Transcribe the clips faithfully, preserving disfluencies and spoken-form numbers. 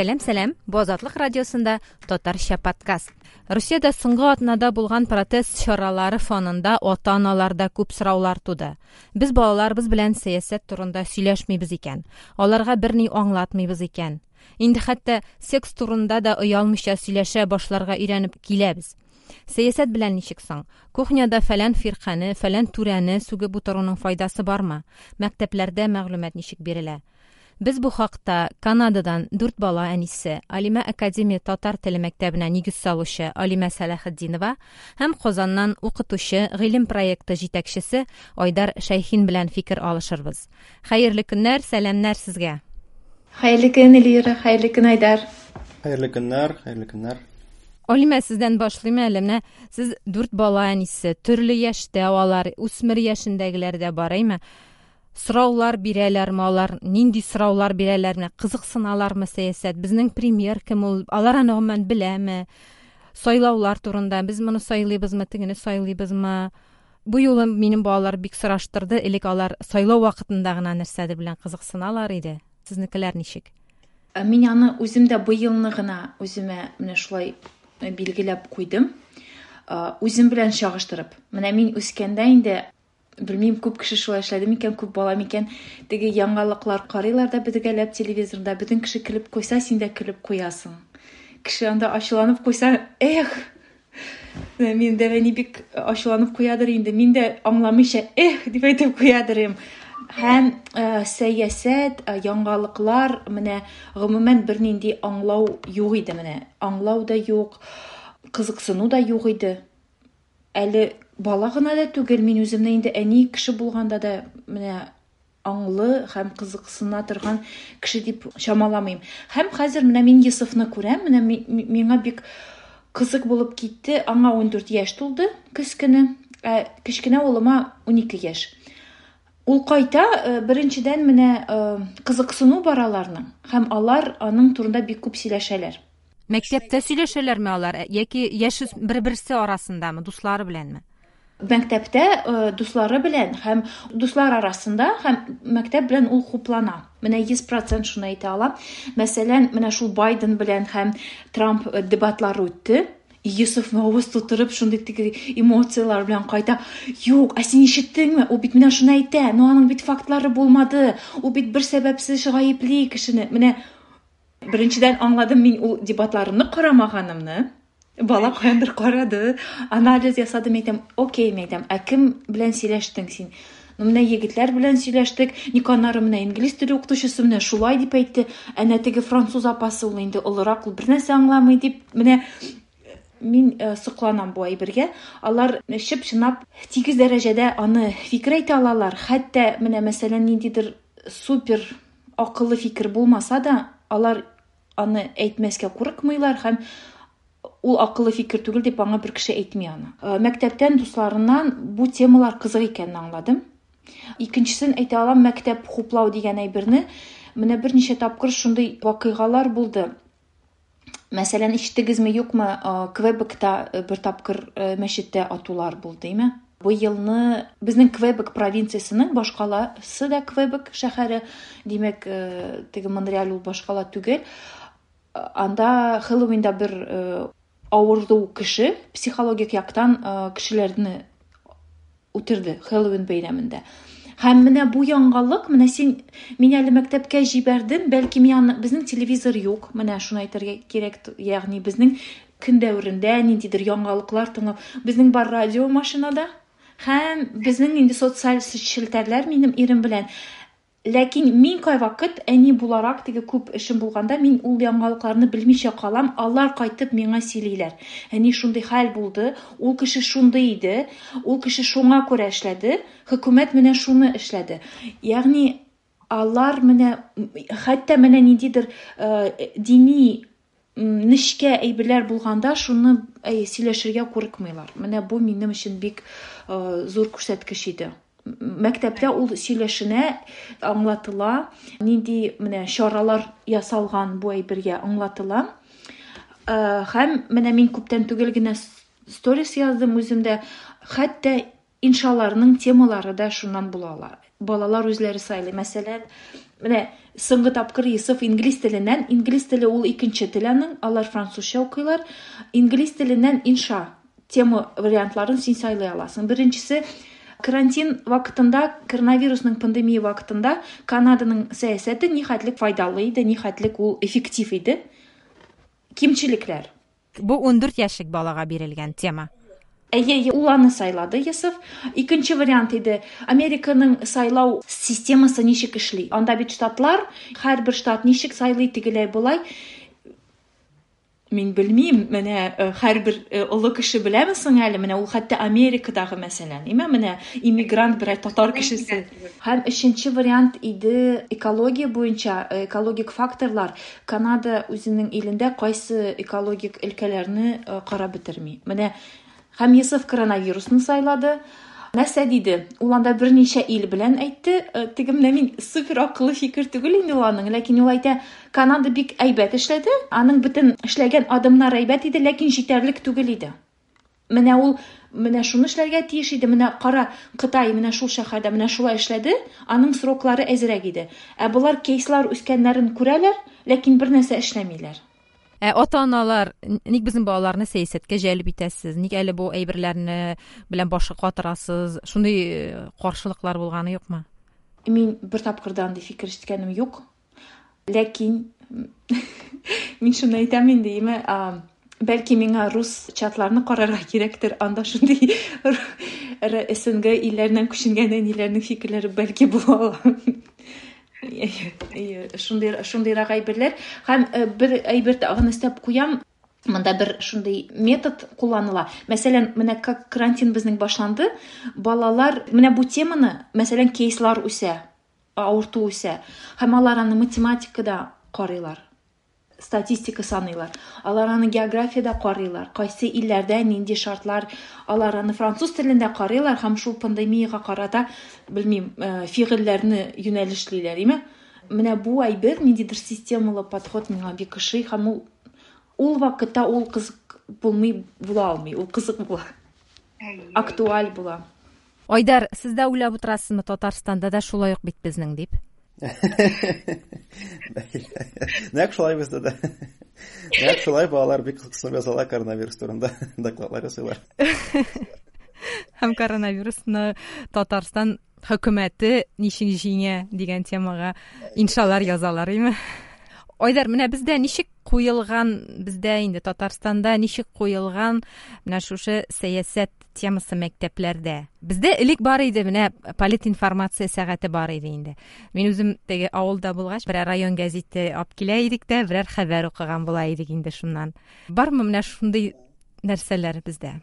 Сәлам, сәлам! Бу Азатлык радиосында татарча подкаст. Русиядә соңгы атнада булган протест чаралары фонында ата-аналарда күп сораулар туды. Без балаларыбыз белән сәясәт турында сөйләшмибез икән, аларга берни аңлатмыйбыз икән. Инде хәтта секс турында да оялмыйча сөйләшә башларга өйрәнеп киләбез. Сәясәт белән ничек соң? Кухняда фәлән фиркане, фәлән түрәне сүгеп утыруның файдасы бармы? Мәктәпләрдә мәгълүмат ничек бирелә? Без бу хакта Канададан дүрт бала әнисе, Алимә академия татар теле мәктәбенә нигез салучы Алимә Сәләхетдинова һәм Казаннан укытучы, гыйлем проекты җитәкчесе Айдар Шәйхин белән фикер алышырбыз. Хәерле көннәр, сәламнәр сезгә. Хәерле көн, Эльвира, хәерле көн, Айдар. Хәерле көннәр, хәерле көннәр. Алимә, сездән башлыйм әле. Менә сез дүрт бала әнисе, төрле яшьтә алар, үсмер яшендәгеләр дә бар, әйме? Сораулар бирәләрме алар? Нинди сораулар бирәләр? Менә кызыксыналармы сәясәт? Безнең премьер кем ул? Алар аны гомумән беләме? Сайлаулар турында без моны сайлыйбызмы, тегене сайлыйбызмы? Бу юлы минем балалар бик сораштырды. Элек алар сайлау вакытында гына нәрсәдер белән кызыксыналар иде. Сезнекеләр ничек? Мин аны үзем дә быелны гына үземә менә шулай билгеләп куйдым. Үзем белән чагыштырып. Менә мин үскәндә инде белмим, күп кеше шулай эшләде микән, күп бала микән, теге яңалыклар карыйлар да бергәләп телевизорда, бөтен кеше көлеп куйса, син дә көлеп куясың. Кеше анда ачуланып куйса, эх, мин дә әни бик ачуланып куядыр инде, мин дә аңламыйча, эх, дип әйтеп куядыр идем. Һәм, э, сәясәт, э, яңалыклар, менә гомумән бернинди аңлау юк иде менә. Аңлау да юк, кызыксыну да юк иде. Әле бала гына да түгел, мин үземне инде әни кеше булганда да менә аңлы һәм кызыксына торган кеше дип чамаламыйм. Һәм хәзер менә мин Йосыфны күрәм, менә ми-, ми-, миңа бик кызык булып китте. Аңа ун дүрт яшь тулды көз көне, ә кечкенә улыма ун ике яшь. Ул кайта, э, беренчедән менә, э, кызыксыну бар аларның, һәм алар аның турында бик күп сөйләшәләр. Мәктәптә сөйләшәләрме алар, яки яшь бер-берсе арасындамы, дуслары беләнме? Мәктәптә, э, дуслары белән һәм дуслар арасында һәм мәктәп белән ул хуплана. Менә йөз процент шуны әйтә алам. Мәсәлән, менә шул Байден белән һәм Трамп, э, дебатлары үтте. Йосыф авыз тутырып шундый теге эмоцияләр белән кайта. Юк, ә син ишеттеңме? Ул бит менә шуны әйтә. Но аның бит фактлары булмады. Ул бит бер сәбәпсез гаепли кешене. Менә беренчедән аңладым мин ул дебатларны карамаганымны. Бала каяндыр карады, анализ ясады, мин әйтәм, окей, мин әйтәм, ә кем белән сөйләштең син? Ну, менә егетләр белән сөйләштек, ник аннары менә инглиз теле укытучысы менә шулай дип әйтте, әнә теге француз апасы ул инде олырак, ул бернәрсә аңламый дип, менә мин, э, сокланам бу әйбергә. Алар чып-чынлап тигез дәрәҗәдә аны фикер әйтә алалар. Хәтта менә мәсәлән ниндидер супер акыллы фикер булмаса да, алар аны әйтмәскә курыкмыйлар һәм ул акыллы фикер түгел дип аңа бер кеше әйтми аны. Э, мәктәптән дусларыннан бу темалар кызык икәнен аңладым. Икенчесен әйтә алам, мәктәп хуплау дигән әйберне менә берничә тапкыр шундый вакыйгалар булды. Мәсәлән, ишеттегезме, юкмы, э, Квебекта, э, бер тапкыр, э, мәчеттә атулар булды, әйме? Бу елны безнең Квебек провинциясенең башкаласы да Квебек шәһәре, димәк, э, теге Монреаль ул башкала түгел. Анда Хэллоуинда бер, э, авыру кеше психологик яктан, э, кешеләрне үтерде Хэллоуин бәйрәмендә. Һәм менә бу яңалык, менә син мин әле мәктәпкә җибәрдем, бәлки мин аны, безнең телевизор юк, менә шуны әйтергә кирәк, ягъни безнең көн дәверендә ниндидер яңалыклар тыңлау, безнең бар радио машинада һәм безнең инде социаль челтәрләр минем ирем белән. Ләкин мин кайвакыт әни буларак теге күп эшем булганда мин ул яңалыкларны белмичә калам, алар кайтып миңа сөйлиләр. Әни шундый хәл булды, ул кеше шундый иде, ул кеше шуңа күрә эшләде, хөкүмәт менә шуны эшләде. Ягъни алар менә хәтта менә ниндидер, э, дини, м, нечкә әйберләр булганда шуны, әй, сөйләшергә курыкмыйлар. Менә бу минем өчен бик, э, зур күрсәткеч иде. Мәктәптә ул сөйләшенә, аңлатыла, нинди менә чаралар ясалган бу әйбергә аңлатыла. Э, һәм менә мин күптән түгел генә с-, сторис яздым үземдә, хәтта иншаларның темалары да шуннан була ала. Балалар үзләре сайлый. Мәсәлән, Менә соңгы тапкыр Йосыф инглиз теленнән, инглиз теле ул икенче тел аның, алар французча укыйлар. Инглиз теленнән инша тема вариантларын син сайлый аласың. Беренчесе карантин вакытында, коронавирусның пандемия вакытында Канаданың сәясәте нихәтлек файдалы иде, нихәтлек ул эффектив иде. Кимчелекләр. Бу ундүрт яшьлек балага бирелгән тема. Әйе, ул аны сайлады Йосыф. Икенче вариант иде. Американың сайлау системасы ничек эшли? Анда бит штатлар, һәрбер штат ничек сайлый, тегеләй болай. Мин белмим, менә һәрбер олы кеше беләме соң әле? Менә ул хәтта Америкадагы мәсәлән, име менә иммигрант берәр татар кешесе. Һәм өченче вариант иде экология буенча, экологик факторлар. Канада үзенең илендә кайсы экологик өлкәләрне карап бетерми. Менә һәм Йосыф коронавирусны сайлады. Нәрсә диде? Ул анда берничә ил белән әйтте. Теге менә мин супер акыллы фикер түгел инде ул аның, ләкин ул әйтә, Канада бик әйбәт эшләде. Аның бөтен эшләгән адымнары әйбәт иде, ләкин җитәрлек түгел иде. Менә ул менә шуны эшләргә тиеш иде. Менә кара, Кытай менә шул шәһәрдә менә шулай эшләде, аның сроклары әзрәк иде. Ә болар кейслар үскәннәрен күрәләр, ләкин бер нәрсә эшләмиләр. Ә ата-аналар, ник безнең балаларны сәясәткә җәлеп итәсез? Ник әле бу әйберләрне белән башы катырасыз? Шундый каршылыклар булганы юкмы? Мин бер тапкыр да андый фикер ишеткәнем юк. Ләкин мин шуны әйтәм инде, име, бәлки миңа рус чатларны карарга кирәктер, анда шундый эс эн гэ илләреннән күченгән әниләрнең фикерләре бәлки була ала. Шундый, шундыйрак әйберләр. Һәм бер әйбер тагын өстәп куям. Монда бер шундый метод кулланыла. Мәсәлән, менә как карантин безнең башланды, балалар менә бу теманы, мәсәлән, кейслар үсә, авырту үсә. Һәм алар аны математикада карыйлар, статистика саныйлар. Алар аны географиядә карыйлар, кайсы илләрдә нинди шартлар, алар аны француз телендә карыйлар һәм шул пандемиягә карата, белмим, фигыльләрне юнәлешлиләр, име? Менә бу әйбер, ниндидер системалы подход миңа бик ошый һәм ул ул вакытта ул кызык булмый була алмый, ул кызык була. Актуаль була. Айдар, сез дә уйлап утырасызмы, Татарстанда да шулай ук бит безнең дип? Нәкъ шулай бездә дә. Нәкъ шулай балалар бик кызыксынып язалар коронавирус турында, докладлар ясыйлар. Һәм коронавирусны Татарстан хөкүмәте ничек җиңә дигән темага иншалар язалар, име? Айдар, менә бездә ничек куелган, бездә инде Татарстанда ничек куелган менә шушы сәясәт темасы мәктәпләрдә? Бездә элек бар иде, менә политинформация сәгате бар иде инде. Мин үзем теге авылда булгач, берәр район гәзите алып килә идек тә, берәр хәбәр укыган була идек инде шуннан. Бармы менә шундый нәрсәләр бездә?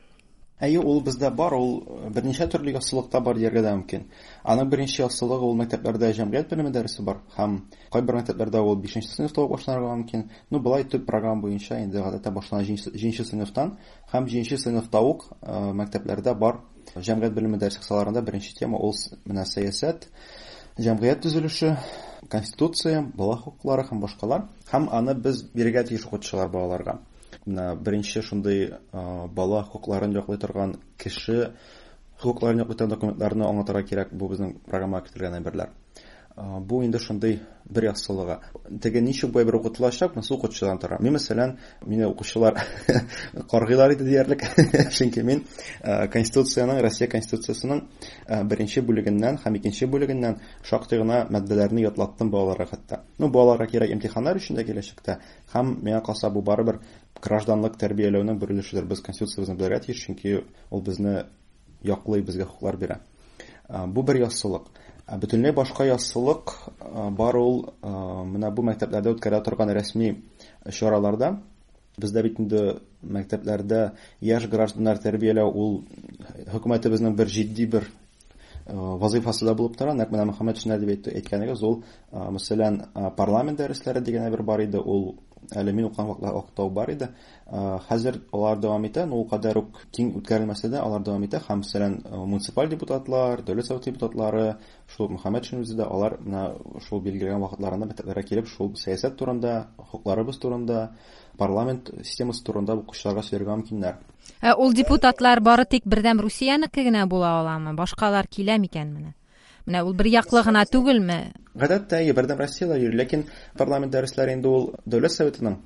Әйе, ул бездә бар, ул берничә төрле яссылыкта бар дияргә дә мөмкин. Аның беренче яссылыгы ул мәктәпләрдә җәмгыять белеме дәресе бар һәм кайбер мәктәпләрдә ул бишенче сыйныфта ук башланырга мөмкин. Ну, болай төп программа буенча инде гадәттә башлана җиденче сыйныфтан һәм җиденче сыйныфта ук мәктәпләрдә бар җәмгыять белеме дәресе кысаларында беренче тема ул менә сәясәт, җәмгыять төзелеше, конституция, бала хокуклары һәм башкалар. Һәм аны без бирергә тиеш укытучылар балаларга. Менә беренче шундый бала хокукларын яклый торган кеше хокукларын яклый торган документларны аңлатырга кирәк, бу безнең программага кертелгән әйберләр. Бу инде шундый бер яссылыгы. Теге ничек бу әйбер укытылачак, монысы укытучыдан тора. Мин, мәсәлән, мине укучылар каргыйлар иде диярлек, чөнки мин Конституциянең, Россия Конституциясенең беренче бүлегеннән һәм икенче бүлегеннән шактый гына маддәләрне ятлаттым балаларга хәтта. Ну, балаларга кирәк имтиханнар өчен дә киләчәктә. Һәм миңа калса бу барыбер гражданлык тәрбияләүнең бер өлешедер. Без Конституциябезне белергә тиеш, чөнки ул безне яклый, безгә хокуклар бирә. Бу бер яссылык. Бөтенләй башка яссылык бар ул менә бу мәктәпләрдә үткәрелә торган рәсми чараларда. Бездә бит инде мәктәпләрдә яшь гражданнар тәрбияләү ул хөкүмәтебезнең бер җитди бер вазифасы да булып тора. Нәкъ менә Мөхәммәтшиннәр дип әйткәнегез, ул, мәсәлән, парламент дәресләре дигән әйбер бар иде, ул әле мин укыган вакытта ук бар иде. Хәзер алар дәвам итә, но ул кадәр үк киң үткәрелмәсә дә алар дәвам итә. Һәм, мәсәлән, муниципаль депутатлар, дәүләт советы депутатлары, шул Мөхәммәтшин үзе дә, алар менә шул билгеләгән вакытларында мәктәпләргә килеп, шул сәясәт турында, хокукларыбыз турында, парламент системасы турында укучыларга сөйләргә мөмкиннәр. Ә ул депутатлар бары тик Бердәм Русиянеке генә була аламы? Башкалар килә микән менә? Менә ул бер яклы гына түгелме? Гадәттә, Бердәм Россияләр йөри, ләкин парламент дәресләре инде ул Дәүләт Советының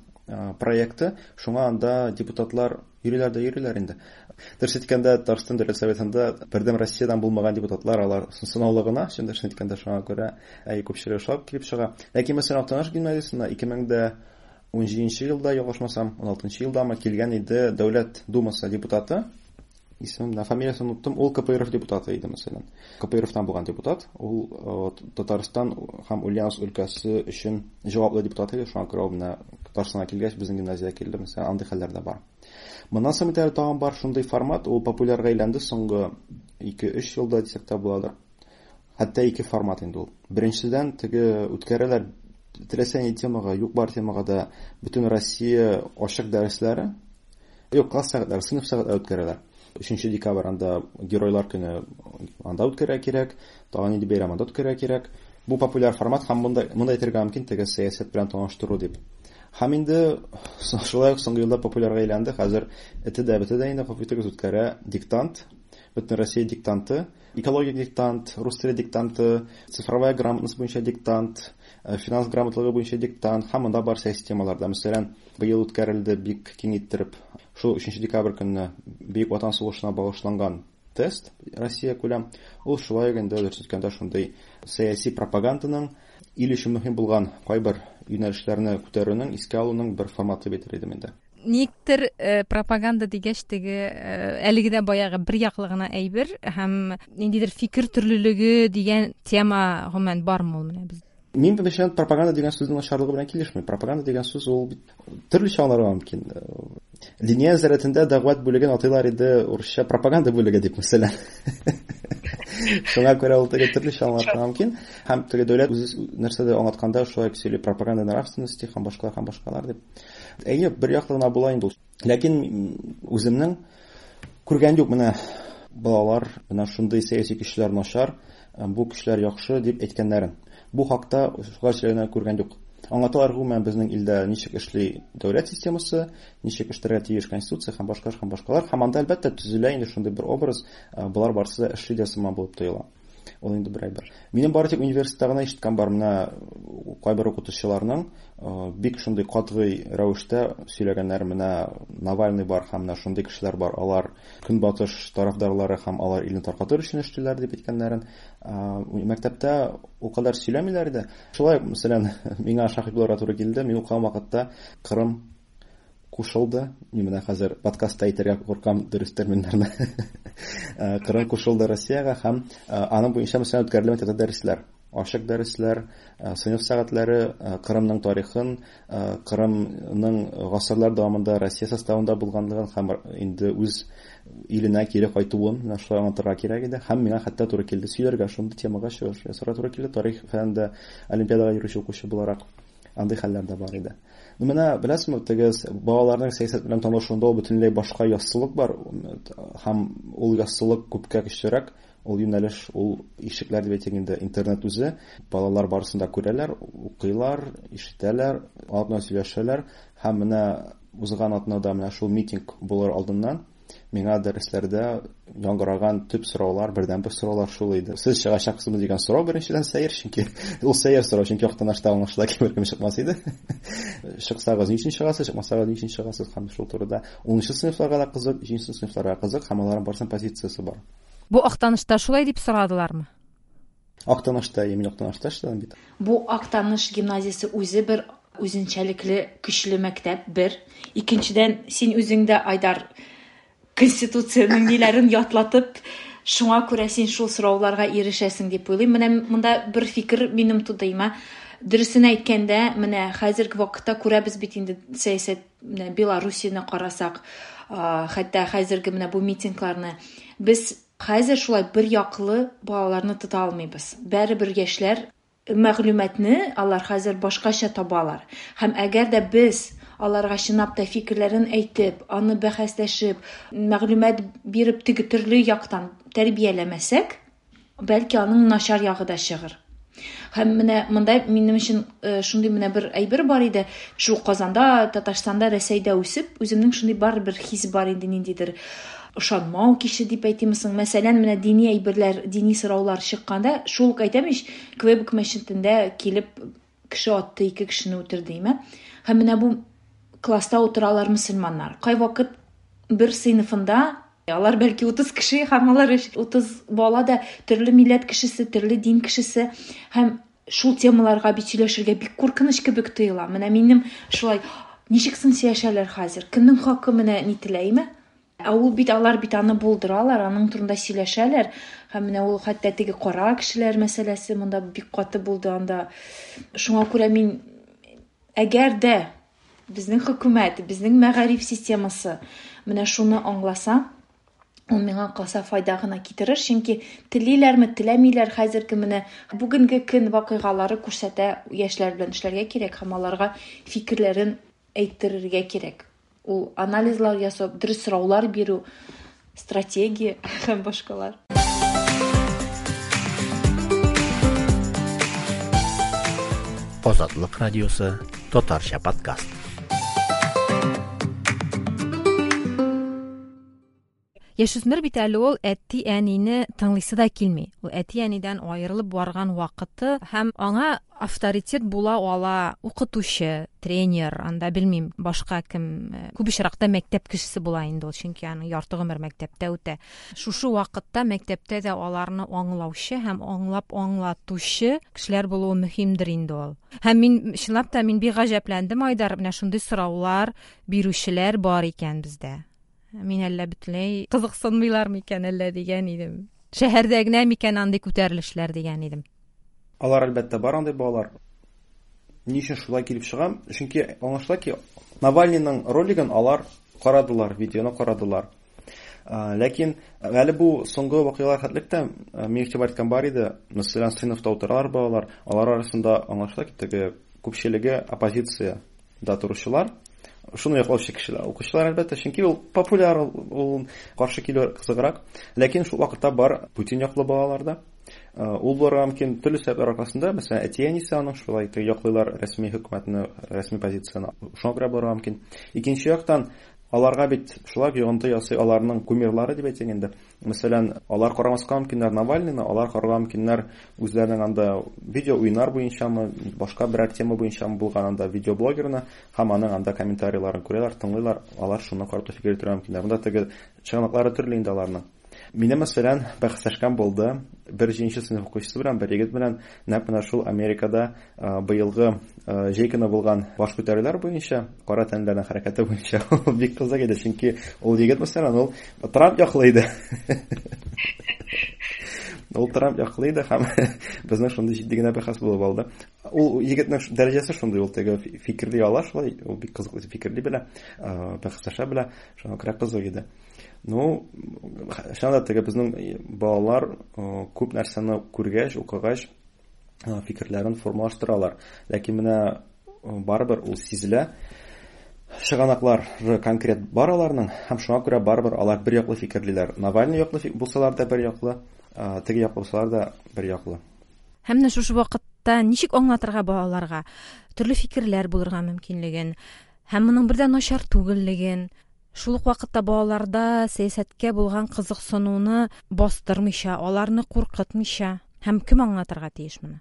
проекты, шуңа анда депутатлар йөриләр дә йөриләр инде. Дөрес әйткәндә, Татарстан Дәүләт Советында Бердәм Россиядән булмаган депутатлар, алар сынаулы гына, чын дөресен әйткәндә, шуңа күрә әй күпчелеге шулай килеп чыга. Ләкин мәсәлән, Актаныш гимназиясендә ике мең дә унҗиденче елда, ялгышмасам, уналтынчы елдамы килгән иде Дәүләт Думасы депутаты. Исемем, фамилиясын оныттым, ул К П Р Ф депутаты иде, мәсәлән. К П Р Фтан булган депутат, ул Татарстан һәм Ульяновск өлкәсе өчен җаваплы депутат иде, шуңа күрә ул менә Татарстанга килгәч, безнең гимназиягә килде, мәсәлән, андый хәлләр дә бар. Моннан соң бит әле тагын бар шундый формат, ул популярга әйләнде соңгы ике-өч елда дисәк тә буладыр. Хәтта ике формат инде ул. Беренчедән, теге үткәрәләр теләсә нинди темага, юк бар темага да бөтен Россия ачык дәресләре, юк, класс сәгатьләре, сыйныф сәгатьләре үткәрәләр. Өченче декабрь анда Геройлар көне анда үткәрергә кирәк, тагын нинди бәйрәм анда үткәрергә кирәк. Бу популяр формат һәм монда, монда әйтергә мөмкин теге сәясәт белән таныштыру дип. Һәм инде шулай ук соңгы елда популярга әйләнде. Хәзер эте дә бете дә инде компьютерегез үткәрә диктант, бөтен Россия диктанты, экологик диктант, рус теле диктанты, цифровая грамотность буенча диктант, финанс грамотлыгы буенча диктант һәм монда бар сәяси темаларда. Мәсәлән, быел үткәрелде бик киң иттереп шул өченче декабрь көнне Бөек Ватан сугышына багышланган тест Россия күләм. Ул шулай ук инде дөрес әйткәндә шундый сәяси пропаганданың ил өчен мөһим булган кайбер юнәлешләрне күтәрүнең, искә алуның бер форматы бит идем инде. Никтер, э, пропаганда дигәч теге, э, әлеге дә баягы бер яклы гына әйбер һәм ниндидер фикер төрлелеге дигән тема гомумән бармы ул менә без? Мин беренчедән пропаганда дигән сүзнең начарлыгы белән килешмим. Пропаганда дигән сүз ул бит төрлечә аңларга мөмкин. Диния нәзарәтендә дәгъват бүлеген атыйлар иде урысча пропаганда бүлеге дип, мәсәлән. Шуңа күрә ул теге төрлечә аңлатырга мөмкин. Һәм теге дәүләт үзе нәрсәдә аңлатканда шулай сөйли, пропаганда нравственности һәм башкалар һәм башкалар дип. Әйе, бер яклы гына була инде ул. Ләкин үземнең күргән юк, менә балалар, менә шундый сәяси көчләр начар, бу көчләр яхшы дип әйткәннәрен. Бу хакта шулай сөйләгәннәрен күргән юк. Аңлаталар гомумән безнең илдә ничек эшли дәүләт системасы, ничек эшләргә тиеш конституция һәм башкалар һәм башкалар. Һәм анда әлбәттә төзелә инде шундый бер образ, болар барысы да эшли дә сыман булып тоела. Ул инде бер әйбер. Минем бары тик университетта гына ишеткән бар, менә кайбер укытучыларның бик шундый катгый рәвештә сөйләгәннәре, менә Навальный бар һәм менә шундый кешеләр бар, алар көнбатыш тарафдарлары һәм алар илне таркатыр өчен эшлиләр дип әйткәннәрен. Мәктәптә ул кадәр сөйләмиләр иде. Шулай ук, мәсәлән, миңа шаһит булырга туры килде. Мин укыган вакытта Кырым кушылды. Мин менә хәзер подкастта әйтергә куркам дөрес терминнарны. Кырым кушылды Россиягә һәм аның буенча мәсәлән үткәрелә мәктәптә дәресләр, ачык дәресләр, сыйныф сәгатьләре, Кырымның тарихын, Кырымның гасырлар дәвамында Россия составында булганлыгын һәм инде үз иленә кире кайтуын менә шулай аңлатырга кирәк иде. Һәм миңа хәтта туры килде сөйләргә, шундый темага чыгыш ясарга туры килде. Тарих фәнендә олимпиадага йөрүче укучы буларак андый хәлләр дә бар иде. Ну, менә беләсезме, теге балаларның сәясәт белән танышуында ул бөтенләй башка яссылык бар һәм ул яссылык күпкә көчлерәк. Ул юнәлеш, ул ишекләр дип әйтик инде, интернет үзе. Балалар барысын да күрәләр, укыйлар, ишетәләр, алар белән сөйләшәләр. Һәм менә узган атнада менә шул митинг булыр алдыннан миңа дәресләрдә яңгыраган төп сораулар, бердәнбер сораулар шул иде. Сез чыгачаксызмы дигән сорау беренчедән сәер, чөнки ул сәер сорау, чөнки Актанышта аңлашыла ки беркем чыкмас иде. Чыксагыз ни өчен чыгасыз, чыкмасагыз ни өчен чыгасыз һәм шул турыда унынчы сыйныфларга да кызык, җиденче сыйныфларга кызык һәм аларның барысының позициясе бар. Бу Актанышта шулай дип сорадылармы? Актанышта, мин Актанышта эшләдем бит. Бу Актаныш гимназиясе үзе бер үзенчәлекле көчле мәктәп бер. Икенчедән, син үзең дә, Айдар, конституциянең ниләрен ятлатып, шуңа күрә син шул сорауларга ирешәсең дип уйлыйм. Менә монда бер фикер минем тудыйма. Дөресен әйткәндә, менә хәзерге вакытта күрәбез бит инде сәясәт, менә Белоруссияне карасак, хәтта хәзерге менә бу митингларны без хәзер шулай бер яклы балаларны тота алмыйбыз. Бәребер яшьләр мәгълүматны алар хәзер башкача табалар. Һәм әгәр дә без аларга чынлап та фикерләрен әйтеп, аны бәхәсләшеп, мәгълүмат биреп теге төрле яктан тәрбияләмәсәк, бәлки аның начар ягы да чыгыр. Һәм менә монда минем өчен шундый менә бер әйбер бар иде. Шул Казанда, Татарстанда, Рәсәйдә үсеп, үземнең шундый бар бер хис бар инде ниндидер. ышанмау кичте дип әйтимме соң. Мәсәлән, менә дини әйберләр, дини сораулар чыкканда, шул ук әйтәм ич, Квебек мәчетендә килеп кеше атты, ике кешене үтерде, име? Һәм менә бу класста утыралар мөселманнар. Кайвакыт бер сыйныфында алар бәлки утыз кеше, һәм алар утыз бала да төрле милләт кешесе, төрле дин кешесе, һәм шул темаларга бит сөйләшергә бик куркыныч кебек тоела. Менә минем шулай, ничек соң сөйләшәләр хәзер? Кемнең хакы менә ни теләйме? Ә ул бит, алар бит аны булдыралар, аның турында сөйләшәләр. Һәм менә ул хәтта теге кара кешеләр мәсьәләсе монда бик каты булды анда. Шуңа күрә мин, әгәр дә безнең хөкүмәт, безнең мәгариф системасы менә шуны аңласа, ул миңа калса файда гына китерер, чөнки телиләрме, теләмиләр, хәзерге менә бүгенге көн вакыйгалары күрсәтә, яшьләр белән эшләргә кирәк һәм аларга фикерләрен әйттерергә кирәк. Ул анализлар ясап, дөрес сораулар бирү, стратегия һәм башкалар. Азатлык радиосы, татарча подкаст. Яшүсмер бит әле ул әти-әнине тыңлыйсы да килми. Ул әти-әнидән аерылып барган вакыты һәм аңа авторитет була ала укытучы, тренер, анда белмим, башка кем, күп очракта мәктәп кешесе була инде ул, чөнки аның ярты гомер мәктәптә үтә. Шушы вакытта мәктәптә дә аларны аңлаучы һәм аңлап аңлатучы кешеләр булуы мөһимдер инде ул. Һәм мин чынлап та мин бик гаҗәпләндем, Айдар, менә шундый сораулар бирүчеләр бар икән бездә. Мин әллә бөтенләй кызыксынмыйлар микән әллә дигән идем. Шәһәрдә генә микән андый күтәрелешләр дигән идем. Алар әлбәттә бар андый балалар. Ни өчен шулай килеп чыга? Чөнки аңлашыла ки, Навальныйның ролигын алар карадылар, видеоны карадылар. Ләкин әле бу соңгы вакыйгалар хәтлектә мин игътибар иткән бар иде. Мәсәлән, сыйныфта утыралар балалар, алар арасында аңлашыла ки, теге күпчелеге оппозиция да торучылар. Шуны яклаучы кешеләр, укучылар әлбәттә, чөнки ул популяр, ул каршы килү кызыграк. Ләкин шул вакытта бар Путин яклы балалар да. Ул булырга мөмкин төрле сәбәпләр аркасында, мәсәлән, әти-әнисе аның шулай яклыйлар рәсми хөкүмәтне, рәсми позицияне. Шуңа күрә булырга мөмкин. Икенче яктан, аларга бит шулай йогынты ясый аларның кумирлары дип әйтсәң инде. Мәсәлән, алар карамаска мөмкиннәр Навальныйны, алар карарга мөмкиннәр үзләренең анда видео уйнар буенчамы, башка берәр тема буенчамы булган анда видеоблогерны һәм аның анда комментарийларын күрәләр, тыңлыйлар, алар шуны карап та фикер йөртергә мөмкиннәр. Монда теге чыганаклары төрле инде аларның. Мине, мәсәлән, бәхәсләшкән булды бер җиденче сыйныф укучысы белән, бер егет белән, нәкъ менә шул Америкада быелгы җәй көне булган баш күтәрүләр буенча, кара тәнләрнең хәрәкәте буенча бик кызык иде, чөнки ул егет, мәсәлән, ул Трамп яклы иде. Ул Трамп яклы иде һәм безнең шундый җитди генә бәхәс булып алды. Ул егетнең дәрәҗәсе шундый, ул теге фикерли ала шулай, ул бик кызыклы фикерли белә, бәхәсләшә белә, шуңа күрә кызык иде. Ну, чынлап та теге безнең балалар күп нәрсәне күргәч, укыгач, фикерләрен формалаштыралар. Ләкин менә барыбер ул сизелә. Чыганаклар конкрет бар аларның, һәм шуңа күрә барыбер алар бер яклы фикерлиләр. Навальный яклы булсалар да бер яклы, теге яклы булсалар да бер яклы. Һәм менә шушы вакытта ничек аңлатырга балаларга төрле фикерләр булырга мөмкинлеген, һәм моның бер дә начар түгеллеген, шул ук вакытта балаларда сәясәткә булган кызыксынуны бастырмыйча, аларны куркытмыйча, һәм кем аңлатырга тиеш моны?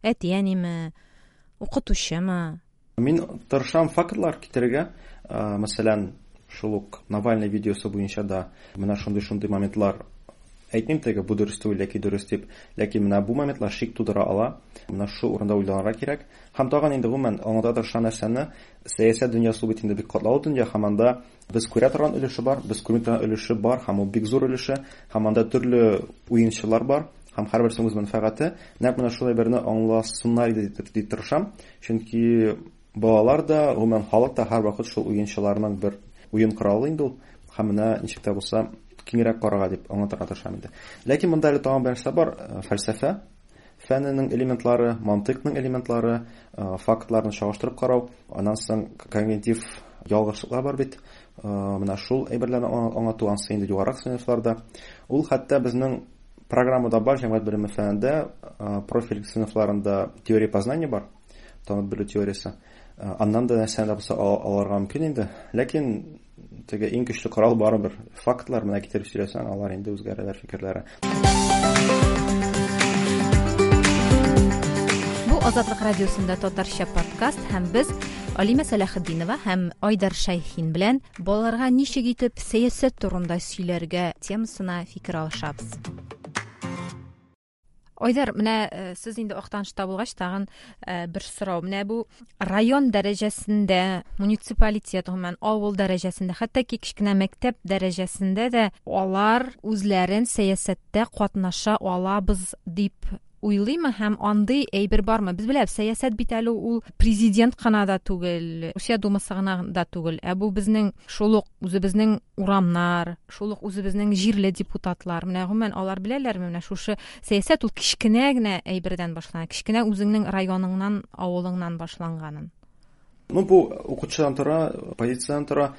Әти-әниме, укытучымы? Мин тырышам фактлар китерергә. Мәсәлән, шул ук Навальный видеосы буенча да менә шундый-шундый моментлар әйтмим теге бу дөрес түгел яки дөрес дип, ләкин менә бу моментлар шик тудыра ала. Менә шу урында уйланырга кирәк. Һәм тагын инде гомумән аңлата тырышкан нәрсәне, сәясәт дөньясы бит инде бик катлаулы дөнья, һәм анда без күрә торган өлеше бар, без күрми торган өлеше бар, һәм ул бик зур өлеше, һәм анда төрле уенчылар бар, һәм һәрберсенең үз мәнфәгате. Нәкъ менә шулай берне аңласыннар иде дип тырышам, чөнки балалар да, гомумән халык та һәрвакыт шул уенчыларның бер уен коралы инде ул, һәм менә ничек тә булса киңрәк карарга дип аңлатырга тырышам инде. Ләкин монда әле тагын бер нәрсә бар, фәлсәфә фәненең элементлары, мантыйкның элементлары, фактларны чагыштырып карау, аннан соң когнитив ялгышлыклар бар бит. Менә шул әйберләрне аңлату ансы инде югарырак сыйныфларда. Ул хәтта безнең программада бар, җәмгыять белеме фәнендә, профиль сыйныфларында теория познания бар, танып белү теориясе. Аннан да нәрсәне дә булса алырга мөмкин инде. Ләкин теге иң көчле корал барыбер фактлар менә китереп сөйләсәң, алар инде үзгәрәләр фикерләре. Бу Азатлык радиосында татарча подкаст һәм без Алимә Сәләхетдинова һәм Айдар Шәйхин белән балаларга ничек итеп сәясәт турында сөйләргә темасына фикер алышабыз. Айдар, менә сез инде Актанышта булгач, тагын бер сорау. Менә бу район дәрәҗәсендә, муниципалитет, гомумән авыл дәрәҗәсендә, хәтта ки кечкенә мәктәп дәрәҗәсендә дә алар үзләрен сәясәттә катнаша алабыз дип уйлыймы һәм андый әйбер бармы? Без беләбез, сәясәт бит әле ул президент кына да түгел, Русия думасы гына да түгел. Ә бу безнең шул ук үзебезнең урамнар, шул ук үзебезнең җирле депутатлар. Менә гомумән алар беләләрме? Менә шушы сәясәт ул кечкенә генә әйбердән башлана, кечкенә үзеңнең районыңнан, авылыңнан башланганын. Ну, бу укытучыдан тора, позициядән тора.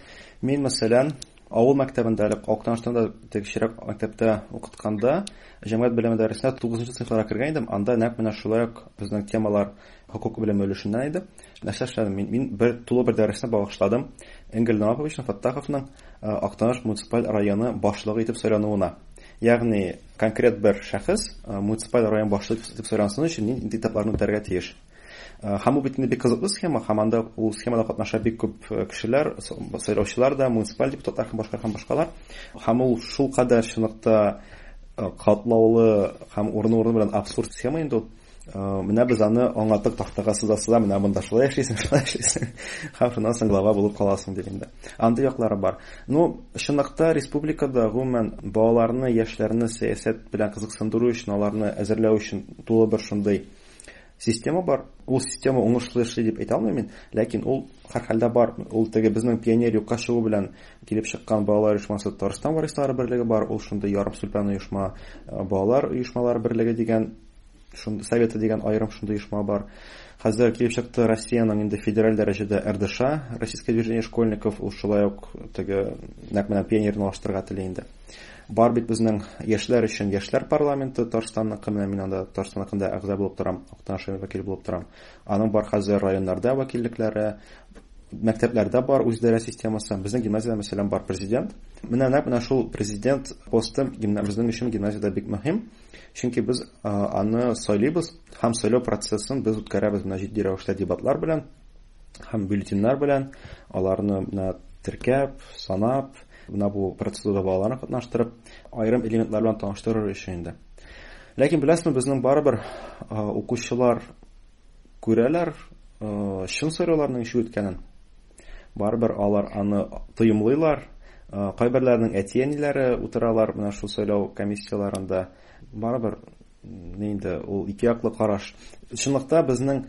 Мин, мәсәлән, авыл мәктәбендә, әле Актаныштан да кечерәк мәктәптә укытканда, җәмгыять белеме дәресенә тугызынчы сыйныфларга кергән идем. Анда нәкъ менә шулай ук безнең темалар хокук белеме өлешеннән иде. Нәрсә эшләдем? Мин, мин бер тулы бер дәресне багышладым Энгель Наваповичның Фаттаховның Актаныш муниципаль районы башлыгы итеп сайлануына. Ягъни конкрет бер шәхес муниципаль район башлыгы итеп сайлансын өчен нинди этапларны үтәргә тиеш. Һәм бу бит инде бик кызыклы схема, һәм анда ул схемада катнаша бик күп кешеләр, сайлаучылар да, муниципаль депутатлар һәм башка һәм башкалар. Һәм ул шул кадәр чынлыкта катлаулы һәм урыны-урыны белән абсурд схема инде ул. Менә без аны аңлаттык, тактага сыза-сыза, менә монда шулай эшлисең, шулай эшлисең. Һәм шуннан соң глава булып каласың дип инде. Андый яклары бар. Ну, чынлыкта республикада гомумән балаларны, яшьләрне сәясәт белән кызыксындыру өчен, аларны әзерләү өчен тулы бер шундый система бар. Ул система уңышлы эшли дип әйтә алмыйм мин, ләкин ул һәрхәлдә бар. Ул теге безнең пионер юкка чыгу белән килеп чыккан балалар оешмасы Татарстан варислары берлеге бар. Ул шундый ярым сүлпән оешма, балалар оешмалары берлеге дигән шундый советы дигән аерым шундый оешма бар. Хәзер килеп чыкты Россиянең инде федераль дәрәҗәдә эр дэ ша, Российское движение школьников, ул шулай ук теге нәкъ менә пионерны алыштырырга тели инде. Бар бит безнең яшьләр өчен яшьләр парламенты Татарстанныкы, менә мин анда Татарстанныкында әгъза булып торам, Актаныш вәкил булып торам. Аның бар хәзер районнарда вәкиллекләре, мәктәпләрдә бар үзидарә системасы. Безнең гимназиядә, мәсәлән, бар президент. Менә нәкъ менә шул президент посты безнең өчен гимназиядә бик мөһим, чөнки без аны сайлыйбыз һәм сайлау процессын без үткәрәбез менә җитди рәвештә дебатлар белән һәм бюллетеньнәр белән, аларны менә теркәп, санап, менә бу процедурада балаларны катнаштырып, аерым элементлар белән таныштырыр өчен инде. Ләкин беләсезме, безнең барыбер укучылар күрәләр чын сайлауларның ничек үткәнен. Барыбер алар аны тоемлыйлар. Кайберләренең әти-әниләре утыралар менә шул сайлау комиссияләрендә. Барыбер инде ул ике яклы караш. Чынлыкта безнең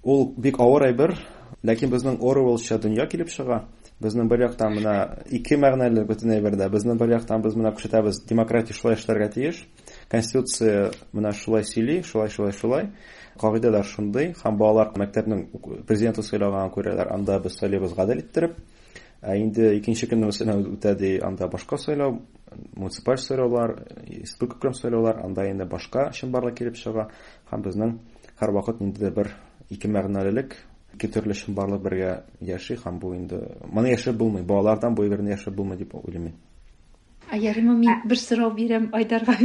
ул бик авыр әйбер, ләкин безнең Оруэллча дөнья килеп чыга. Безнең бер яктан менә ике мәгънәле бөтен әйбердә. Безнең бер яктан без менә күрсәтәбез, демократия шулай эшләргә тиеш. Конституция менә шулай сөйли, шулай, шулай, шулай. Кагыйдәләр шундый, һәм балалар мәктәпнең президенты сайлаганын күрәләр, анда без сайлыйбыз гадел иттереп. Ә инде икенче көнне мәсәлән үтә ди, анда башка сайлау, муниципаль сайлаулар, республика сайлаулар, анда инде башка чынбарлык килеп чыга. Һәм безнең һәрвакыт ниндидер бер ике мәгънәлелек, ике төрле чынбарлык бергә яши, һәм бу инде моны яшәп булмый, балалардан бу әйберне яшәп булмый дип уйлыйм мин. Ә ярыймы мин бер сорау бирәм Айдарга?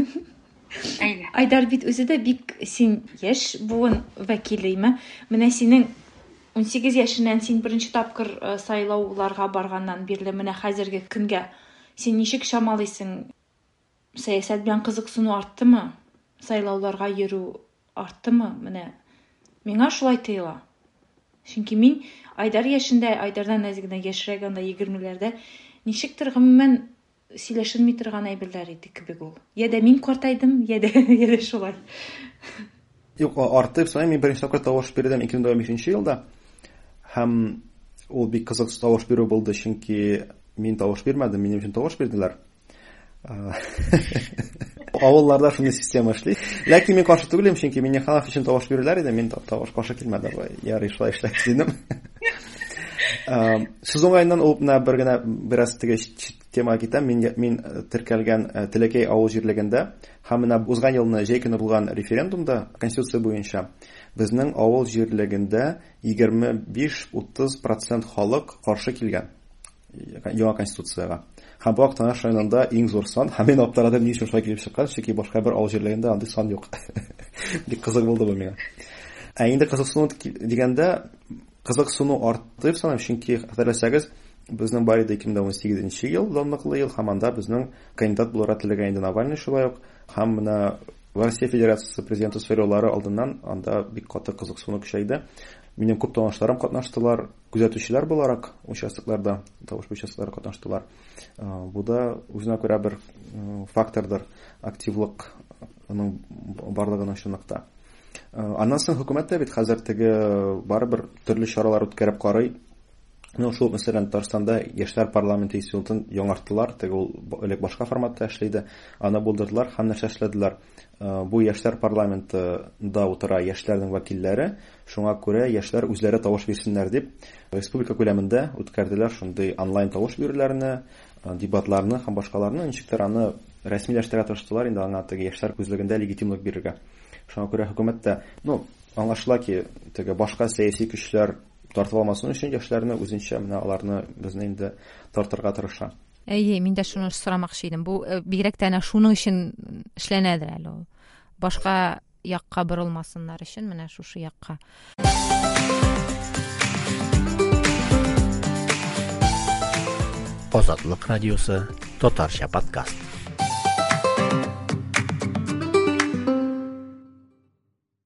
Әйдә. Айдар бит үзе дә бик син яшь буын вәкилеме? Менә синең ун сигез яшеннән син беренче тапкыр сайлауларга барганнан бирле менә хәзерге көнгә син ничек чамалыйсың? Сәясәт белән кызыксыну арттымы? Сайлауларга йөрү арттымы? Менә миңа шулай тоела. Чөнки мин Айдар яшендә, Айдардан әз генә яшьрәк, анда егермеләрдә ничектер гомумән сөйләшенми торган әйберләр иде кебек ул. Я дә мин картайдым, я дә, я дә шулай. Юк, артып саныйм, мин беренче тапкыр тавыш бирдем ике мең бишенче елда. Һәм ул бик кызык тавыш бирү булды, чөнки мин тавыш бирмәдем, минем өчен тавыш бирделәр. Авылларда шундый система эшли. Ләкин мин каршы түгелем, чөнки Миңнеханов өчен тавыш бирүләр иде, мин тавыш каршы килмәдем. Ярый, шулай эшләгез дидем. Сүз уңаеннан ул менә бер генә бераз теге темага китәм. Мин, мин теркәлгән Теләкәй авыл җирлегендә һәм менә узган елны җәй көне булган референдумда конституция буенча безнең авыл җирлегендә егерме биш утыз процент халык каршы килгән яңа конституциягә. Һәм бу Актаныш районында иң зур сан. Һәм мин аптырадым, ни өчен шулай килеп чыккан, чөнки башка бер авыл җирлегендә андый сан юк. Бик кызык булды бу миңа. Ә инде кызыксыну дигәндә, кызыксыну артты дип саныйм, чөнки хәтерләсәгез, безнең бар иде ике мең дә унсигезенче ел, данлыклы ел, һәм анда безнең кандидат булырга теләгән инде Навальный шулай ук, һәм менә Россия Федерациясе президенты сайлаулары алдыннан анда бик каты кызыксыну көчәйде. Минем күп танышларым катнаштылар, күзәтүчеләр буларак участокларда, тавыш участоклары катнаштылар. Бу да үзенә күрә бер фактордыр, активлыкның барлыгының чынлыкта. Аннан соң хөкүмәт тә бит хәзер теге барыбер төрле чаралар үткәреп карый. Ну, шул, мәсәлән, Татарстанда яшьләр парламенты институтын яңарттылар, теге ул элек башка форматта эшли иде, аны булдырдылар һәм нәрсә эшләделәр. Бу яшьләр парламентында утыра яшьләрнең вәкилләре, шуңа күрә яшьләр үзләре тавыш бирсеннәр дип, республика күләмендә үткәрделәр шундый онлайн тавыш бирүләрне, дебатларны һәм башкаларны, ничектер аны рәсмиләштерә тырыштылар, инде аңа теге яшьләр күзлегендә легитимлык бирергә. Шуңа күрә хөкүмәт тә, ну, аңлашыла ки, теге башка сәяси көчләр тартып алмасын өчен яшьләрне үзенчә менә аларны безне инде тартырга тырыша. Әйе, мин дә шуны сорамакчы идем. Бу бигрәк тә әнә шуның өчен эшләнәдер әле ул. Башка якка борылмасыннар өчен менә шушы якка. Азатлык радиосы татарча подкаст.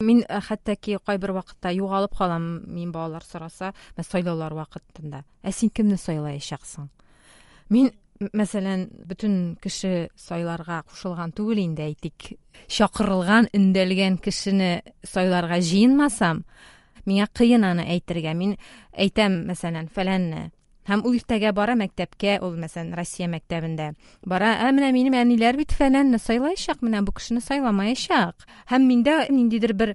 Мин хәтта ки кайбер вакытта югалып калам, мин балалар сораса, мен сайлаулар вакытында. Ә син кемне сайлаячаксың? Мин, мәсәлән, бөтен кеше сайларга кушылган түгел инде, әйтик, чакырылган, өндәлгән кешене сайларга җыенмасам, миңа кыен аны әйтергә. Мин әйтәм, мәсәлән, фәләнне. Һәм ул иртәгә бара мәктәпкә, ул, мәсәлән, Россия мәктәбендә. Бара, ә менә минем әниләр бит фәләнне сайлаячак, менә бу кешене сайламаячак. Һәм миндә ниндидер бер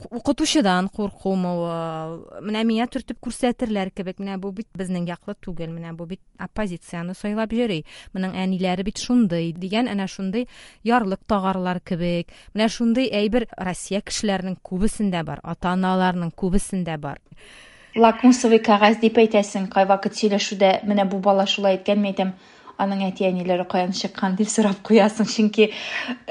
укытучыдан куркумы ул, менә миңа төртеп күрсәтерләр кебек, менә бу бит безнең яклы түгел, менә бу бит оппозицияне сайлап йөри, моның әниләре бит шундый дигән, әнә шундый ярлык тагарлар кебек. Менә шундый әйбер Россия кешеләренең күбесендә бар, ата-аналарның күбесендә бар. Лакмусовый кәгазь дип әйтәсең, кайвакыт сөйләшүдә менә бу бала шулай әйткән, мин әйтәм, аның әти-әниләре каян чыккан дип сорап куясың, чөнки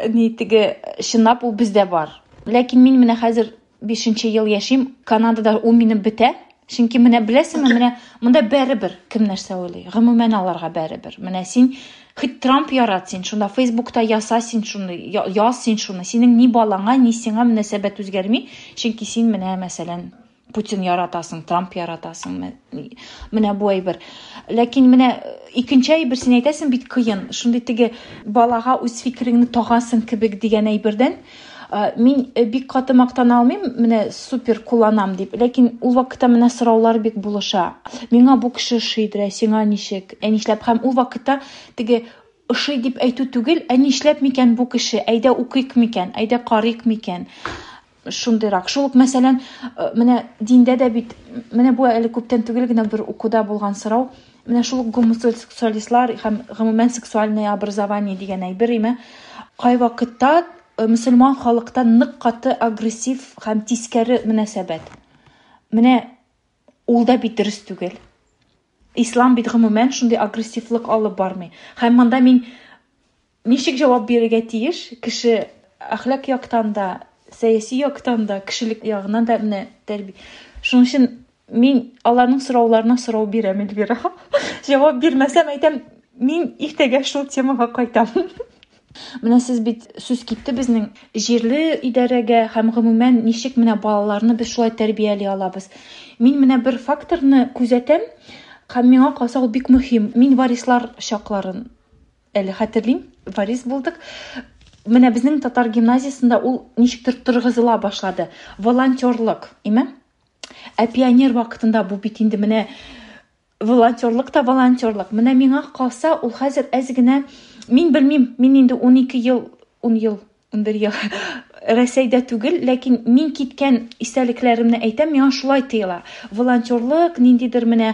ни теге чынлап ул бездә бар. Ләкин мин менә хәзер бишенче ел яшим, Канадада ул минем бетә, чөнки менә беләсеңме, менә монда бәребер кем нәрсә уйлый, гомумән аларга бәребер. Менә син хоть Трамп ярат син, шунда Фейсбукта яса син шуны, яз син шуны, синең ни балаңа, ни сиңа мөнәсәбәт үзгәрми, чөнки син менә мәсәлән Путин яратасың, Трамп яратасың, менә бу әйбер. Ләкин менә икенче әйбер син әйтәсең бит кыен, шундый теге балага үз фикереңне тагасың кебек дигән әйбердән мин бик каты мактана алмыйм, менә супер кулланам дип. Ләкин ул вакытта менә сораулар бик булыша. Миңа бу кеше ошыйдыр, ә сиңа ничек, ә нишләп? Һәм ул вакытта теге ошый дип әйтү түгел, ә нишләп микән бу кеше, әйдә укыйк микән, әйдә карыйк микән? Шундыйрак. Шул ук, мәсәлән, менә диндә дә бит, менә бу әле күптән түгел генә бер укуда булган сорау, менә шул ук гомосексуалистлар һәм гомумән сексуальное образование дигән әйбер име, кайвакытта мөселман халыкта нык каты агрессив һәм тискәре мөнәсәбәт. Менә ул да бит дөрес түгел. Ислам бит гомумән шундый агрессивлык алып бармый. Һәм монда мин ничек җавап бирергә тиеш? Кеше әхлак яктан да, сәяси яктан да, кешелек ягыннан да менә тәрбия. Шуның өчен мин аларның сорауларына сорау бирәм, Эльвира. Җавап бирмәсәм, әйтәм, мин иртәгә шул темага кайтам. Менә сез бит сүз китте безнең җирле идарәгә һәм гомумән ничек менә балаларны без шулай тәрбияли алабыз. Мин менә бер факторны күзәтәм, һәм миңа калса ул бик мөһим. Мин варислар чакларын әле хәтерлим, варис булдык. Менә безнең татар гимназиясендә ул ничектер торгызыла башлады. Волонтерлык, име? Ә пионер вакытында бу бит инде менә волонтерлык та волонтерлык. Менә миңа калса, ул хәзер әз генә, мин белмим, мин инде ун ике ел, ун ел, ун бер ел Рәсәйдә түгел, ләкин мин киткән истәлекләремне әйтәм, миңа шулай тоела. Волонтерлык ниндидер менә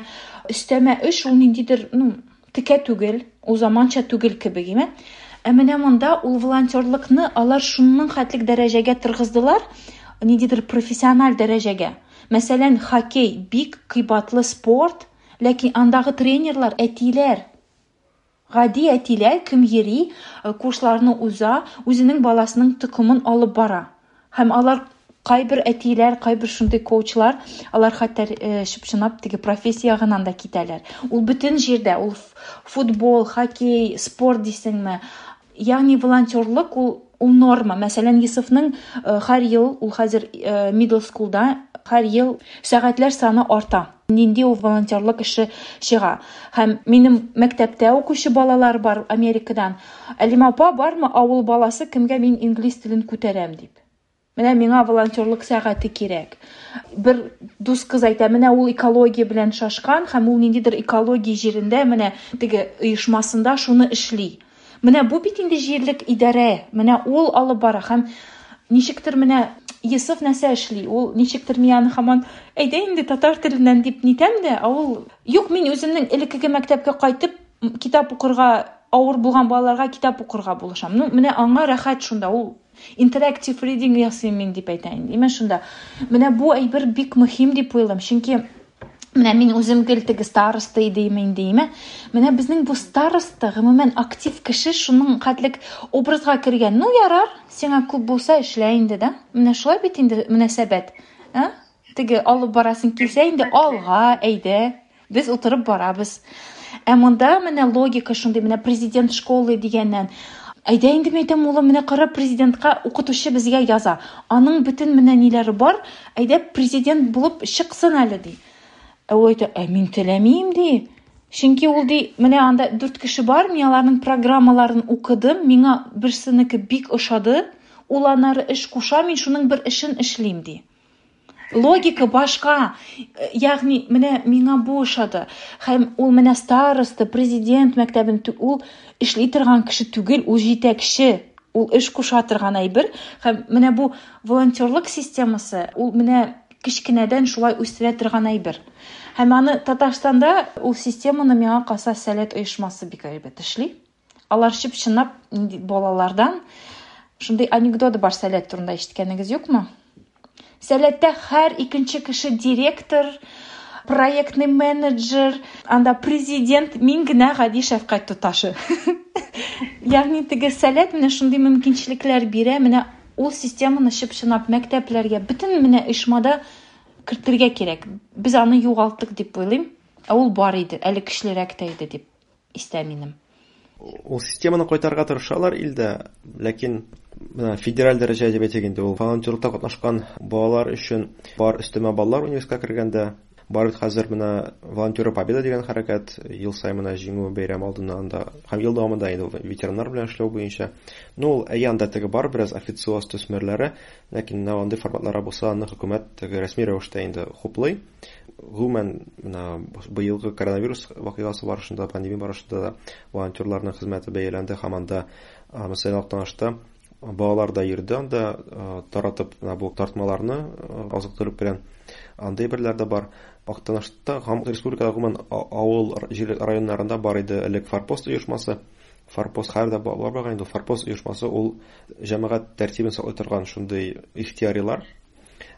өстәмә эш, ул ниндидер, ну, текә түгел, ул заманча түгел кебек, име? Ә менә монда ул волонтерлыкны алар шуның хәтлек дәрәҗәгә торгыздылар, ниндидер профессиональ дәрәҗәгә. Мәсәлән, хоккей бик кыйбатлы спорт, ләкин андагы тренерлар әтиләр. Гади әтиләр, кем йөри, курсларны уза, үзенең баласының токымын алып бара. Һәм алар кайбер әтиләр, кайбер шундый коучлар, алар хәтта чып-чынлап теге профессия ягыннан да китәләр. Ул бөтен җирдә, ул футбол, хоккей, спорт дисеңме. Ягъни волонтерлык ул, ул норма. Мәсәлән, Йосыфның һәр ел, ул хәзер middle schoolда, һәр ел сәгатьләр саны арта. Нинди ул волонтерлык эше чыга. Һәм минем мәктәптә укучы балалар бар Америкадан. Әлимә апа, бармы авыл баласы, кемгә мин инглиз телен күтәрәм дип. Менә миңа волонтерлык сәгате кирәк. Бер дус кыз әйтә, менә ул экология белән шашкан һәм ул ниндидер экология җирендә, менә теге оешмасында шуны эшли. Менә бу бит инде җирлек идарә, менә ул алып бара һәм ничектер менә Йосыф нәрсә эшли, ул ничектер мин аны һаман әйдә инде татар теленнән дип нитәм дә, ә ул юк, мин үземнең элеккеге мәктәпкә кайтып китап укырга авыр булган балаларга китап укырга булышам. Ну, менә аңа рәхәт шунда, ул интерактив reading ясыйм мин дип әйтә инде. Менә шунда. Менә бу әйбер бик мөһим дип уйлыйм, чөнки менә мин үзем гел теге староста идем инде, име? Менә безнең бу староста, гомумән актив кеше шуның хәтлек образга кергән. Ну, ярар, сиңа күп булса эшлә инде, да? Менә шулай бит инде мөнәсәбәт. А? Теге алып барасың килсә инде алга, әйдә. Без утырып барабыз. Ә монда менә логика шундый, менә президент школы дигәннән. Әйдә инде мин әйтәм, улым, менә кара президентка укытучы безгә яза. Аның бөтен менә ниләре бар, әйдә президент булып чыксын әле ди. Ә ул әйтә, ә мин теләмим ди. Чөнки ул ди, менә анда дүрт кеше бар, мин аларның программаларын укыдым, миңа берсенеке бик ошады, ул аннары эш куша, мин шуның бер эшен эшлим ди. Логика башка. Ягъни менә миңа бу ошады. Һәм ул менә староста, президент мәктәбен ул эшли торган кеше түгел, ул җитәкче, ул эш куша торган әйбер. Һәм менә бу волонтерлык системасы, ул менә кечкенәдән шулай үстерә торган әйбер. Һәм аны Татарстанда ул системаны миңа калса Сәләт оешмасы бик әйбәт эшли. Алар чып-чынлап балалардан шундый анекдот бар Сәләт турында ишеткәнегез юкмы? Сәләттә һәр икенче кеше директор, проектный менеджер, анда президент, мин генә гади шәфкать туташы. Ягъни теге Сәләт менә шундый мөмкинчелекләр бирә, менә ул системаны чып-чынлап мәктәпләргә, бөтен менә оешмада кертергә кирәк. Без аны югалттык дип уйлыйм. Ә ул бар иде, әле көчлерәк тә иде дип истә минем. Ул системаны кайтарырга тырышалар илдә, ләкин менә федераль дәрәҗә дип әйтик инде, ул волонтерлыкта катнашкан балалар өчен бар өстәмә баллар университетка кергәндә, бар бит хәзер менә Волонтеры Победа дигән хәрәкәт, ел саен менә җиңү бәйрәме алдыннан анда һәм ел дәвамында инде ветераннар белән эшләү буенча. Ну, ул әйе, анда теге бар бераз официоз төсмерләре, ләкин менә андый форматлары булса, аны хөкүмәт теге рәсми рәвештә инде хуплый. Гомумән, менә быелгы коронавирус вакыйгасы барышында, пандемия барышында да волонтерларның хезмәте бәяләнде һәм анда, мәсәлән, Актанышта балалар да йөрде анда, таратып менә бу тартмаларны азык-төлек белән. Андый берләр дә бар. Актанышта һәм республикада гомумән авыл җирлек районнарында бар иде элек Форпост оешмасы. Форпост хәзер дә бар булган инде. Форпост оешмасы ул җәмәгать тәртибен саклый торган шундый ихтыярилар.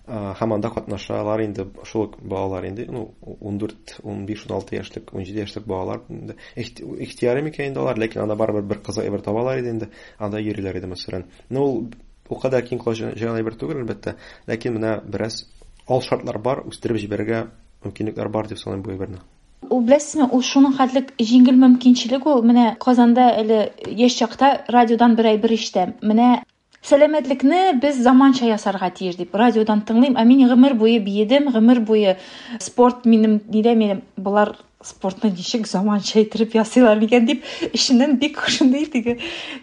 Һәм анда катнашалар инде шул ук балалар инде, ну, ун дүрт, ун биш, ун алты яшьлек, ун җиде яшьлек балалар инде. Ихтыяри микән инде алар, ләкин анда барыбер бер кызык әйбер табалар иде инде, анда йөриләр иде мәсәлән. Ну, ул ул кадәр киң колач җыйган әйбер түгел, әлбәттә, ләкин менә бераз ал шартлар бар, үстереп җибәрергә мөмкинлекләр бар дип саныйм бу әйберне. Ул беләсезме, ул шуның хәтлек җиңел мөмкинчелек ул. Менә Казанда әле яшь чакта радиодан бер әйбер ишетәм. Менә сәламәтлекне без заманча ясарга тиеш дип радиодан тыңлыйм. Ә мин гомер буе биедем, гомер буе спорт минем нидә минем болар спортны ничек заманча итеп ясыйлар микән дип эченнән бик шундый теге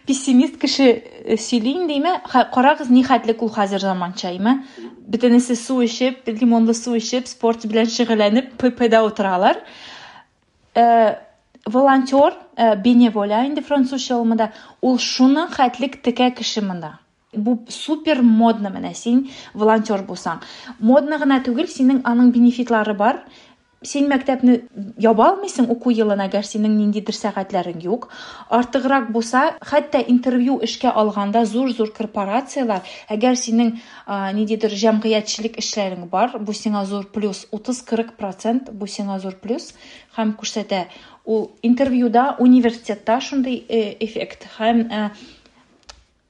пессимист кеше сөйли инде, име? Карагыз, ни хәтлек ул хәзер заманча, име? Бөтенесе су эчеп, лимонлы су эчеп, спорт белән шөгыльләнеп, ППда утыралар. Э, волонтер, беневоля инде французча ул монда, ул шуның хәтлек текә кеше монда. Бу супер модно менә син волонтер булсаң. Модно гына түгел, синең аның бенефитлары бар. Син мәктәпне яба алмыйсың уку елын, әгәр синең ниндидер сәгатьләрең юк. Артыграк булса, хәтта интервью эшкә алганда зур-зур корпорацияләр, әгәр синең ниндидер җәмгыятьчелек эшләрең бар, бу сиңа зур плюс, утыз-кырык процент бу сиңа зур плюс һәм күрсәтә. Ул интервьюда, университетта шундый эффект һәм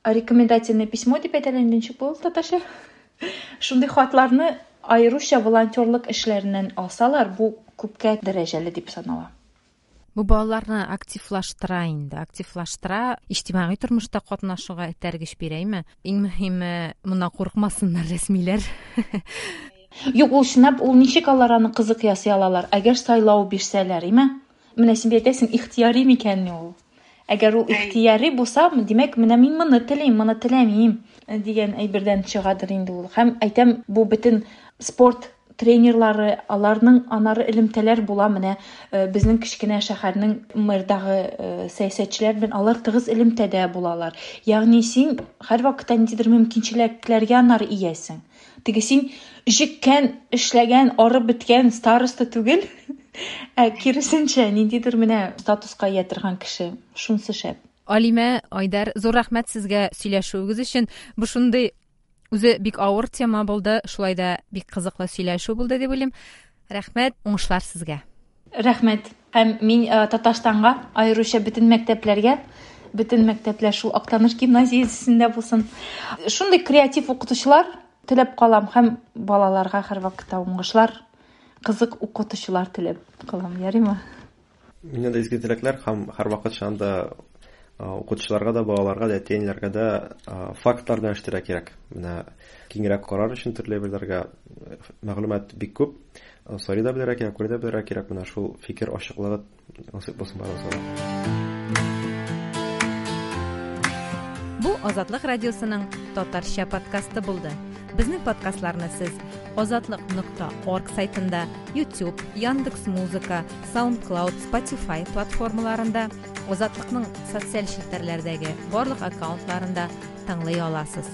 рекомендательное письмо дип әйтәләр, ничек булды татарча? Шундый хатларны аеруча волонтерлык эшләреннән алсалар, бу күпкә дәрәҗәле дип санала. Бу балаларны активлаштыра инде, активлаштыра, иҗтимагый тормышта катнашуга этәргеч бирәме? Иң мөһиме, моннан курыкмасыннар рәсмиләр. Юк, ул чынлап, ул ничек алар аны кызык ясый алалар? Әгәр сайлау бирсәләр, име? Менә син бит әйтәсең, ихтыяри микәнни ул? Әгәр ул ихтыяри булса, димәк, менә мин моны телим, моны теләмим дигән әйбердән чыгадыр инде ул. Һәм әйтәм, бу бөтен спорт тренерлары, аларның анары элемтәләр була. Менә безнең кечкенә шәһәрнең мэрдагы сәясәтчеләр белән алар тыгыз элемтәдә булалар. Ягъни син һәрвакытта ниндидер мөмкинчелекләргә анары иясең. Теге син җиккән, эшләгән, арып беткән староста түгел, ә киресенчә ниндидер менә статуска ия торган кеше. Шунысы шәп. Алимә, Айдар, зур рәхмәт сезгә сөйләшүегез өчен. Бу шундый үзе бик авыр тема булды, шулай да бик кызыклы сөйләшү булды дип уйлыйм. Рәхмәт, уңышлар сезгә. Рәхмәт. Һәм мин Татарстанга, аеруча бөтен мәктәпләргә, бөтен мәктәпләр шул Актаныш гимназиясендә булсын. Шундый креатив укытучылар теләп калам һәм балаларга һәрвакытта уңышлар, кызык укытучылар теләп калам. Ярыймы? Миннән дә изге теләкләр һәм һәрвакыт шунда укытучыларга да, балаларга да, әти-әниләргә дә фактлар белән эшләргә кирәк. Менә киңрәк карар өчен төрле әйберләргә мәгълүмат бик күп. Сорый да белергә кирәк, күрә дә белергә кирәк. Менә шул фикер ачыклыгы насыйп булсын барыбызга. Бу Азатлык радиосының татарча подкасты булды. Безнең подкастларны сез азатлык нокта орг сайтында, YouTube, Яндекс.Музыка, SoundCloud, Spotify платформаларында, Азатлыкның социаль челтәрләрдәге барлык аккаунтларында тыңлый аласыз.